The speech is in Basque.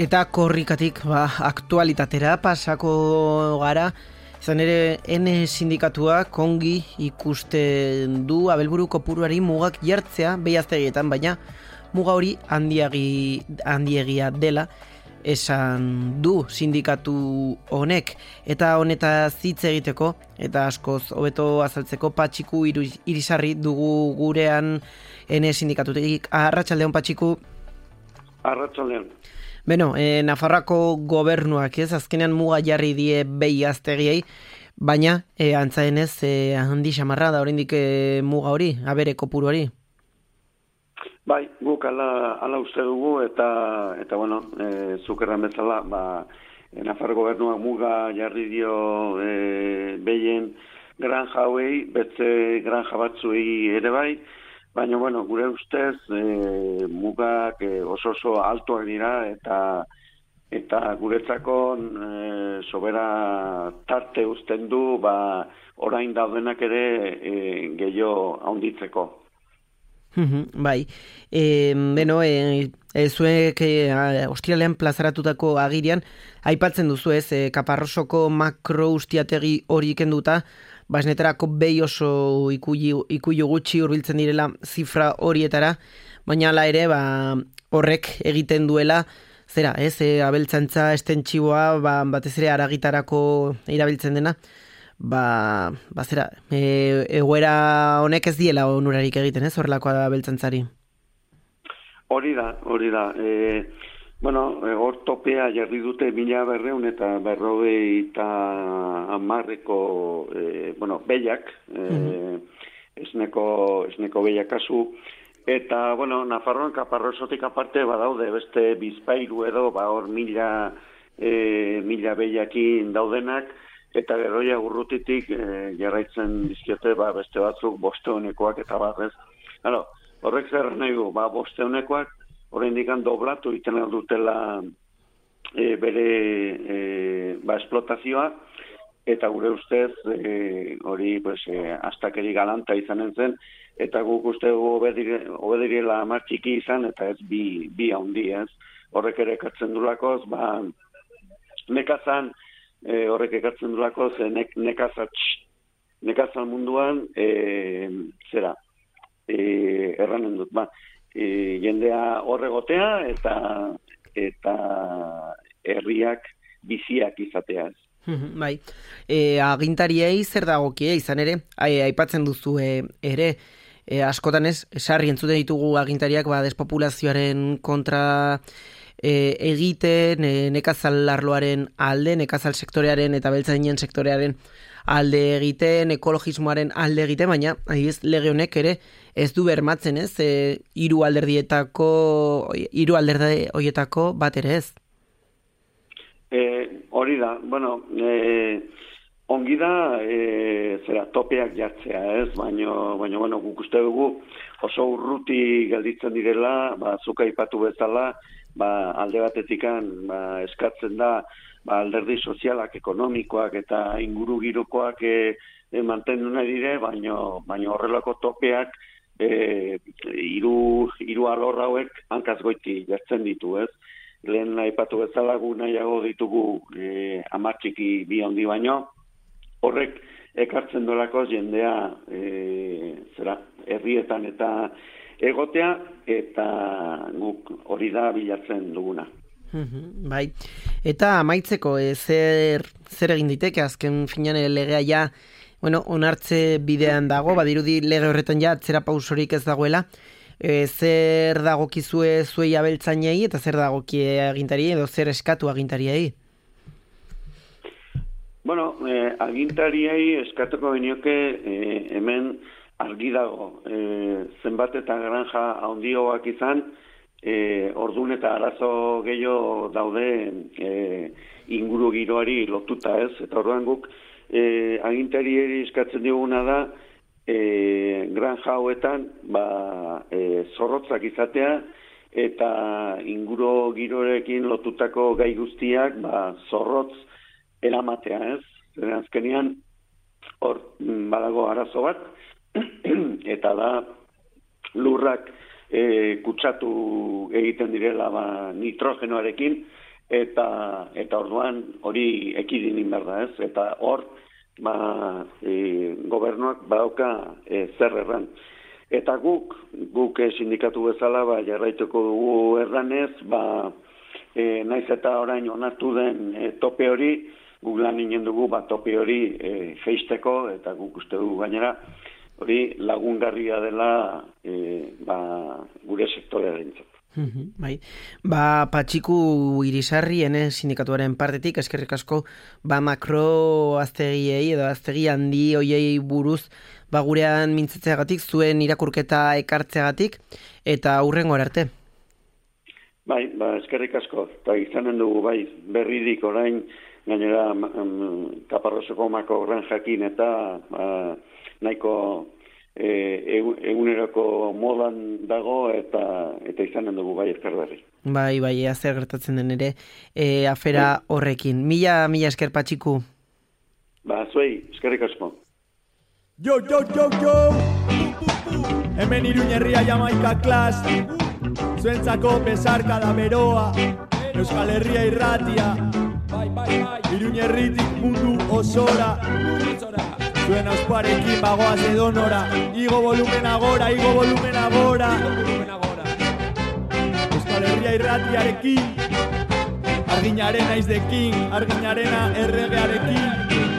Eta korrikatik aktualitatera pasako gara, izan ere sindikatua kongi ikusten du abelburu kopuruari mugak jartzea behiaztegietan, baina muga hori handiegia dela esan du sindikatu honek, eta honetaz hitz egiteko eta askoz hobeto azaltzeko Patxiku Irisarri dugu gurean sindikatutik. Arratsaldeon, Patxiku. Arratsaldeon. Beno, Nafarroako gobernuak azkenean muga jarri die behiaztegiei, baina antza denez handi xamarra da oraindik muga hori, abere kopuru hori. Bai, guk ala uste dugu eta bueno, zuk erran bezala, Nafarro gobernuak muga jarri dio behien granja hauei, betze granja batzuei ere bai, baina, bueno, gure ustez, mugak oso altuak dira eta guretzako sobera tarte uzten du, orain daudenak ere gehiago haunditzeko. Bai, beno, zuek ostiralean plazaratutako agirian, aipatzen duzu Kaparrosoko makro ustiategi hori kenduta, esnetarako behi oso ikuilu gutxi hurbiltzen direla zifra horietara, baina hala ere horrek egiten duela, zera, abeltzantza estentxiboa, batez ere aragitarako irabiltzen dena, zera, egoera honek ez diela onurarik egiten, horrelako abeltzantzari. Hori da. Bueno, hor topea jarri dute 1200 eta 50ko behiak, esneko behiak kasu, eta, bueno, Nafarroan Kaparrosotik aparte badaude beste Bizpahiru edo, hor 1000 behiakin daudenak, eta geroia urrutitik jarraitzen dizkiote beste batzuk 500koak eta ez. Horrek zer nahi du, 500koak, oraindik doblatu iten dutela bere esplotazioa, eta gure ustez hori astakeri galanta izanen zen, eta guk uste obedirela hamar txiki izan, eta ez bi handi ez. Horrek ere ekartzen dulakoz, nekazan, horrek ekartzen dulakoz, nekazan munduan, erranen dut, jendea horregotea eta herriak biziak izatea. Bai, agintariei zer dagokie izan ere, aipatzen duzu ere, askotan sarri entzuten ditugu agintariak despopulazioaren kontra egiten, nekazal arloaren alde, nekazal sektorearen eta beltzainen sektorearen alde egiten, ekologismoaren alde egiten, baina lege honek ere ez du bermatzen, hiru alderdi horietako bat ere ez. Hori da, bueno, ongi da topeak jartzea ez, baina guk uste dugu oso urruti gelditzen direla, zuk aipatu bezala, alde batetikan eskatzen da alderdi sozialak, ekonomikoak eta inguru girokoak mantendu nahi dire, baina horrelako topeak hiru alor hauek hankaz goiti jartzen ditu, ez? Lehen aipatu bezala gu nahiago ditugu 10 txiki bi handi baino, horrek ekartzen dolako jendea herrietan eta egotea, eta guk hori da bilatzen duguna. Bai, eta amaitzeko zer egin diteke, azken finean legea onartze bidean dago, badirudi lege horretan atzera pausorik ez dagoela, zer dagokizue zuei abeltzainei eta zer dagokie agintariei edo zer eskatu agintariei? Bueno, agintariei eskatuko genioke hemen argi dago, zenbat eta granja handioak izan, ordun eta arazo gehiago daude inguru giroari lotuta ez, eta orduan guk agintariei eskatzen diguna da granja hauetan zorrotzak izatea eta inguru girorekin lotutako gai guztiak zorrotz eramatea ez. Azkenean hor badago arazo bat, eta da lurrak kutsatu egiten direla nitrogenoarekin, eta orduan hori ekidin behar da, ez? Eta hor, gobernuak badauka zer erran. Eta guk sindikatu bezala, jarraituko dugu erranez, naiz eta orain onartu den tope hori, guk lan inen dugu tope hori feisteko, eta guk uste dugu gainera, hori lagungarria dela gure sektorearentzat. Bai. Patxiku Irisarri, sindikatuaren partetik, eskerrik asko, makro aztegiei edo aztegi handi hoiei buruz, gurean mintzatzeagatik, zuen irakurketa ekartzeagatik, eta hurrengo arte. Bai, eskerrik asko, eta izanen dugu, berridik orain, gainera Kaparroseko Mako Granjakin eta nahiko eguneroko modan dago eta izanen dugu ezker berri. Bai, zer gertatzen den ere afera horrekin. Mila esker Patxiku. Zuei, eskerrik asko. Yo! Hemen Iruñerria Jamaika Klas, zuentzako besarka da beroa, Euskal Herria irratia, Iruñerritik mundu osora, zuen ausparekin bagoaz edonora, igo volumen agora, Euskal Herria irratiarekin, arginaren aizdekin, arginarena erregearekin.